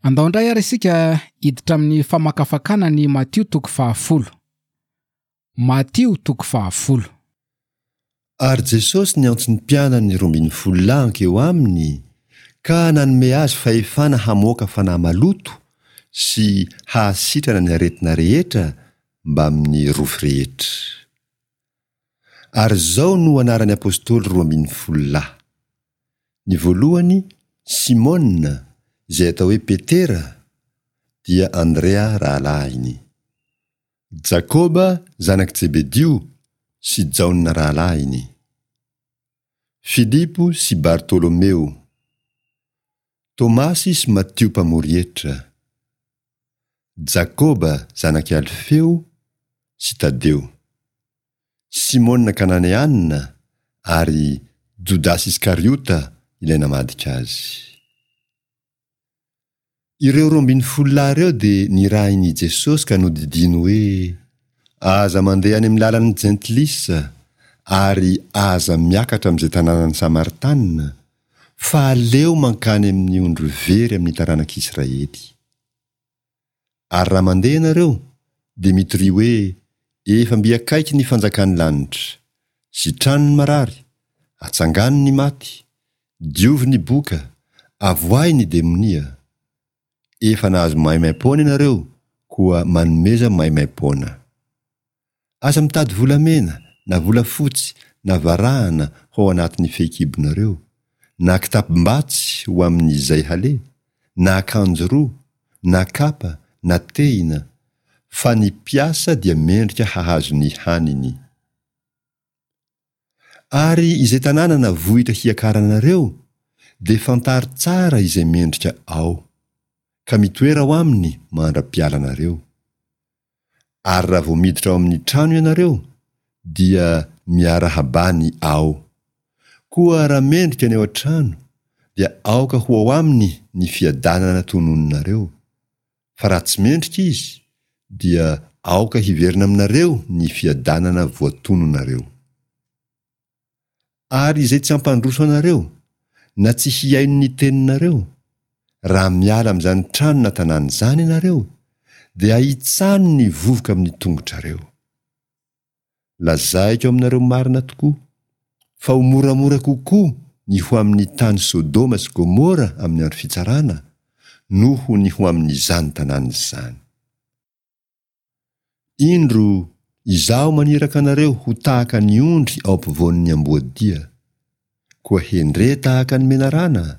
Andao indray ary isika hiditra amin'ny famakafakana ny Matio toko fahafolo. Matio toko fahafolo. Ary Jesosy niantso ny mpianany 12 lahy hankeo aminy, ka nanome azy fahefana hamoaka fanahy maloto sy hahasitrana ny aretina rehetra mbamin'ny rofy rehetra. Ary izao no anaran'ny apostoly 12 lahy. Ny voalohany, Simona, izay atao hoe Petera, dia Andrea rahalahiny. Jakoba zanak'i Jebedio sy Jaona rahalahiny. Filipo sy Bartolomeo. Tomasy sy Matio mpamory hetra. Jakoba zanak'i Alfeo sy Tadeo. Simona Kananeana ary Jodasy Iskariota ilay namadika azy. Ireo 12 lahy ireo dia nirahin' i Jesosy ka nodidiany hoe, Aza mandeha any amin'ny lalan'ny Jentilisa, ary aza miakatra amin'izay tanànan'ny Samaritanina, fa aleo mankany amin'ny ondry very amin'ny taranak'Israely. Ary raha mandeha ianareo, dia mitoria hoe, Efa mby akaiky ny fanjakan'ny lanitra. Sitrano ny marary, atsangano ny maty, diovy ny boka, avoahy ny demonia. Efa nahazo maimaim-poana ianareo, koa manomeza maimaim-poana. Aza mitady volamena, na volafotsy, na varahana ho ao anatin'ny fehikibonareo, na kitapom-batsy ho amin'izay haleha, na akanjo roa, na kapa, na tehina, fa ny mpiasa dia mendrika hahazo ny haniny. Ary izay tanàna na vohitra hiakaranareo, dia fantaro tsara izay mendrika ao, ka mitoera ao aminy mandra-pialanareo. Ary raha vao miditra ao amin'ny trano ianareo, dia miarahabà ny ao. Koa raha mendrika ny ao an-trano, dia aoka ho ao aminy ny fiadanana tononinareo, fa raha tsy mendrika izy, dia aoka hiverina aminareo ny fiadanana voatononareo. Ary izay tsy hampandroso anareo, na tsy hihaino ny teninareo, raha miala amin'izany trano na tanàna izany ianareo, dia ahitsano ny vovoka amin'ny tongotrareo. Lazaiko aminareo marina tokoa, fa ho moramora kokoa ny ho amin'ny tany Sodoma sy Gomora amin'ny andro fitsarana, noho ny ho amin'izany tanàna izany. Indro, Izaho maniraka anareo ho tahaka ny ondry ao ampovoan'ny amboadia. Koa hendre tahaka ny menarana,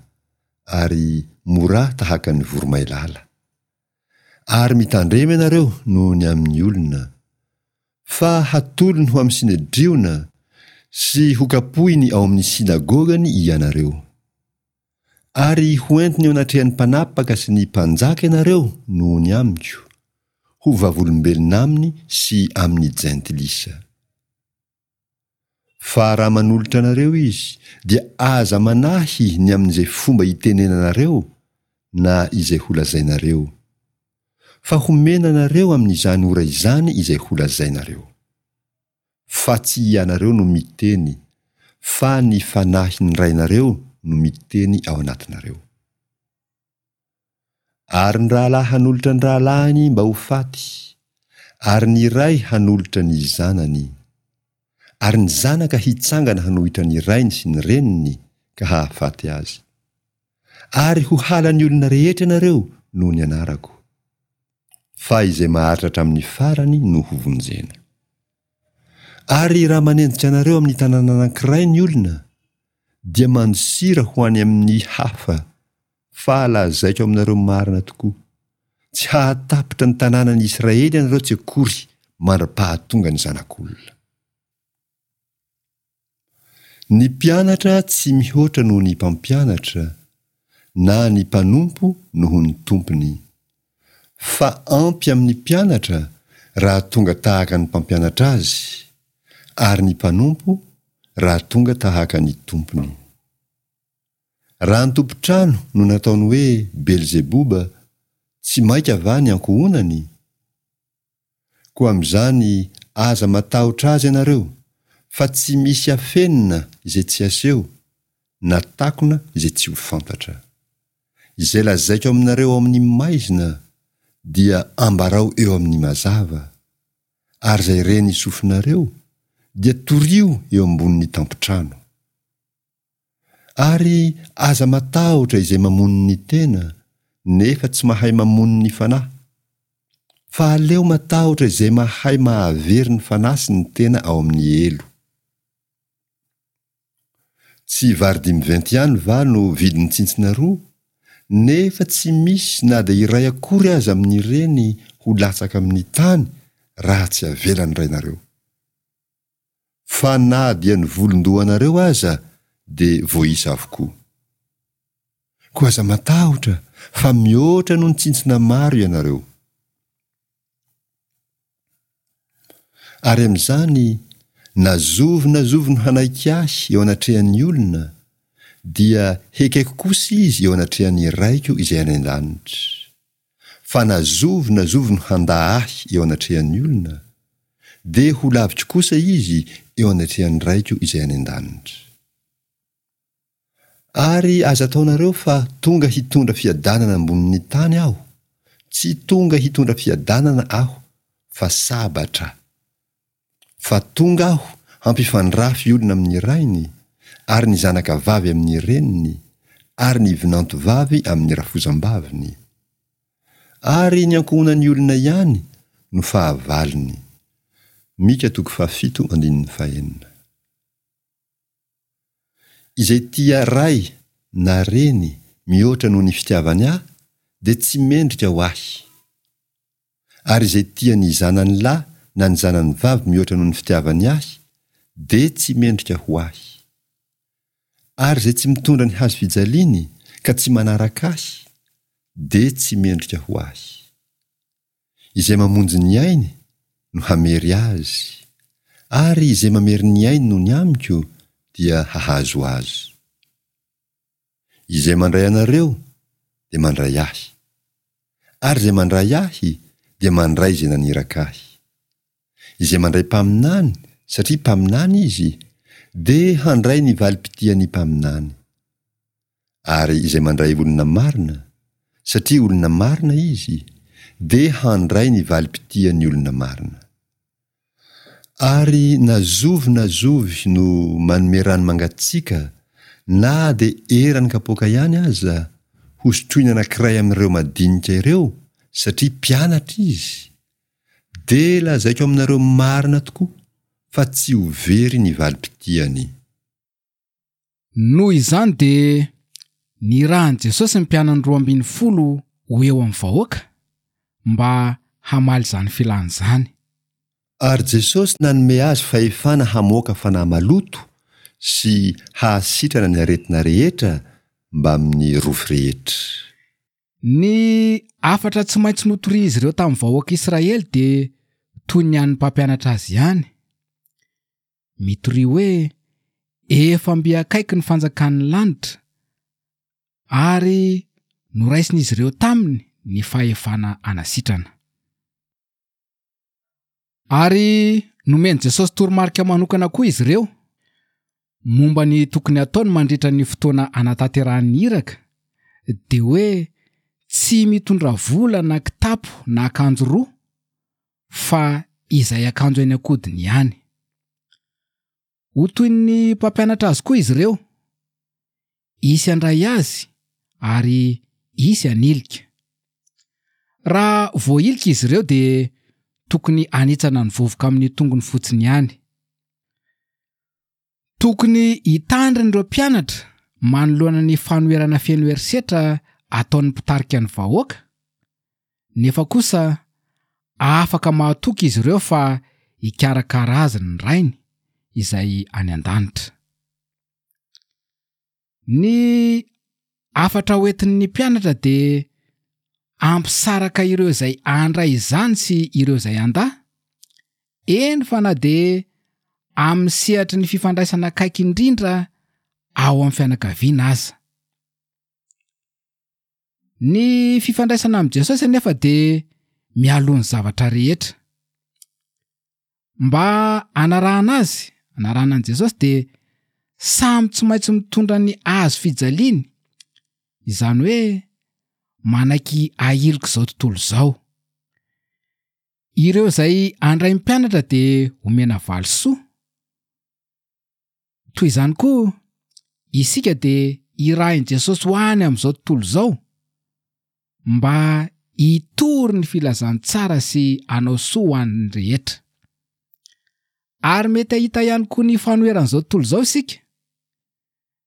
ary morà tahaka ny voromailala. Ary mitandrema ianareo noho ny amin'ny olona, fa hatolony ho amin'ny Synedriona sy hokapohiny ao amin'ny synagogany ianareo. Ary hoentiny eo anatrehan'ny mpanapaka sy ny mpanjaka ianareo noho ny amiko, ho vavolombelona aminy sy amin'ny Jentilisa. Fa raha manolotra anareo izy, dia aza manahy ny amin'izay fomba hitenenanareo na izay holazainareo. Fa homena anareo amin'izany ora izany izay holazainareo. Fa tsy ianareo no miteny, fa ny Fanahin'ny Rainareo no miteny ao anatinareo. Ary ny rahalahy hanolotra ny rahalahiny mba ho faty, ary ny ray hanolotra ny zanany. Ary ny zanaka hitsangana hanohitra ny rainy sy ny reniny ka hahafaty azy. Ary ho halan'ny olona rehetra ianareo noho ny anarako. Fa izay maharitra hatramin'ny farany no hovonjena. Ary raha manenjika anareo amin'ny tanàna anankiray ny olona, dia mandosira ho any amin'ny hafa, fa lazaiko aminareo marina tokoa, tsy hahatapitra ny tanànan'i Israely ianareo tsy akory mandra-pahatonga ny Zanak'olona. Ny mpianatra tsy mihoatra noho ny mpampianatra, na ny mpanompo noho ny tompony. Fa ampy amin'ny mpianatra raha tonga tahaka ny mpampianatra azy, ary ny mpanompo raha tonga tahaka ny tompony. Raha ny tompon-trano no nataony hoe Belzeboba, tsy mainka va ny ankohonany? Koa amin'izany aza matahotra azy ianareo, fa tsy misy afenina izay tsy aseho, na takona izay tsy ho fantatra. Izay lazaiko aminareo ao amin'ny maizina dia ambarao eo amin'ny mazava, ary izay ren'ny sofinareo dia torio eo ambonin'ny tampon-trano. Ary aza matahotra izay mamono ny tena, nefa tsy mahay mamono ny fanahy. Fa aleo matahotra izay mahay mahavery ny fanahy sy ny tena ao amin'ny helo. Tsy vary dimiventy ihany va no vidin'ny tsintsina roa, nefa tsy misy na dia iray akory aza amin'ireny ho latsaka amin'ny tany raha tsy avelan'ny Rainareo. Fa na dia ny volon-dohanareo aza dia voaisa avokoa. Koa aza matahotra fa mihoatra noho ny tsintsina maro ianareo. Ary amin'izany, na zovy na zovy no hanaiky ahy eo anatrehan'ny olona, dia hekeko kosa izy eo anatrehan'ny Raiko izay any an-danitra. Fa na zovy na zovy no handà ahy eo anatrehan'ny olona, dia ho laviko kosa izy eo anatrehan'ny Raiko izay any an-danitra. Ary aza ataonareo fa tonga hitondra fiadanana ambonin'ny tany aho, tsy tonga hitondra fiadanana aho fa sabatra. Fa tonga aho hampifandrafy olona amin'ny rainy, ary ny zanaka vavy amin'ny reniny, ary ny vinanto vavy amin'ny rafozam-baviny. Ary ny ankohonan'ny olona ihany no fahavalony. Mika toko fahafito andininy fahenina. Izay tia ray na reny mihoatra noho ny fitiavany ahy dia tsy mendrika ho ahy. Ary izay tia ny zanany lahy na ny zanany vavy mihoatra noho ny fitiavany ahy, dia tsy mendrika ho ahy. Ary izay tsy mitondra ny hazo fijaliany ka tsy manaraka ahy, dia tsy mendrika ho ahy. Izay mamonjy ny ainy no hamery azy, ary izay mamery ny ainy noho ny amiko dia hahazo azy. Izay mandray anareo dia mandray ahy, ary izay mandray ahy dia mandray izay naniraka ahy. Izay mandray mpaminany satria mpaminany izy dia handray ny valim-pitian'ny mpaminany. Ary izay mandray olona marina satria olona marina izy dia handray ny valim-pitian'ny olona marina. Ary na zovy na zovy no manome rano mangatsiaka na dia eran'ny kapoaka ihany aza hosotroiny anankiray amin'ireo madinika ireo satria mpianatra izy, dia lazaiko aminareo marina tokoa fa tsy ho very ny valim-pitiany. Noho izany dia nirahin'i Jesosy ny mpianany 12 ho eo amin'ny vahoaka mba hamaly izany filany izany. Ary Jesosy nanome azy fahefana hamoaka fanahy maloto sy hahasitrana ny aretina rehetra mbamin'ny rofy rehetra. Ny hafatra tsy maintsy notorian'izy ireo tamin'ny vahoaka Israely dia toy ny an'ny mpampianatra azy ihany. Mitoria hoe, Efa mby akaiky ny fanjakan'ny lanitra, ary noraisin'izy ireo taminy ny fahefana hanasitrana. Ary nomen'i Jesosy toromarika manokana koa izy ireo momba ny tokony hataony mandritra ny fotoana anatanterahany ny iraka, dia hoe tsy mitondra vola na kitapo na akanjo roa, fa izay akanjo eny an-kodiny ihany. Ho toy ny mpampianatra azy koa izy ireo. Hisy handray azy ary hisy hanilika. Raha voahilika izy ireo dia tokony hanitsana ny vovoka amin'ny tongony fotsiny ihany. Tokony hitandrina ireo mpianatra manoloana ny fanoherana feno herisetra ataon'ny mpitarika ny vahoaka, nefa kosa afaka mahatoky izy ireo fa hikarakara azy ny Rainy izay any an-danitra. Ny hafatra hoentin'ny mpianatra dia hampisaraka ireo izay handray izany sy ireo izay handà, eny fa na dia amin'ny sehatry ny fifandraisana akaiky indrindra ao amin'ny fianakaviana aza. Ny fifandraisana amin'i Jesosy anefa dia mialoha ny zavatra rehetra. Mba hanarahana azy, hanarahana an'i Jesosy dia samy tsy maintsy mitondra ny hazo fijaliany, izany hoe. manaiky ahilik'izao tontolo izao. Ireo izay handray mpianatra dia homena valisoa. Toy izany koa, isika dia irahin'i Jesosy ho any amin'izao tontolo izao mba hitory ny filazantsara sy hanao soa ho an'ny rehetra. Ary mety hahita ihany koa ny fanoheran'izao tontolo izao isika,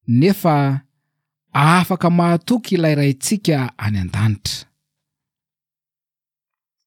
nefa afaka mahatoky ilay Raintsika any an-danitra.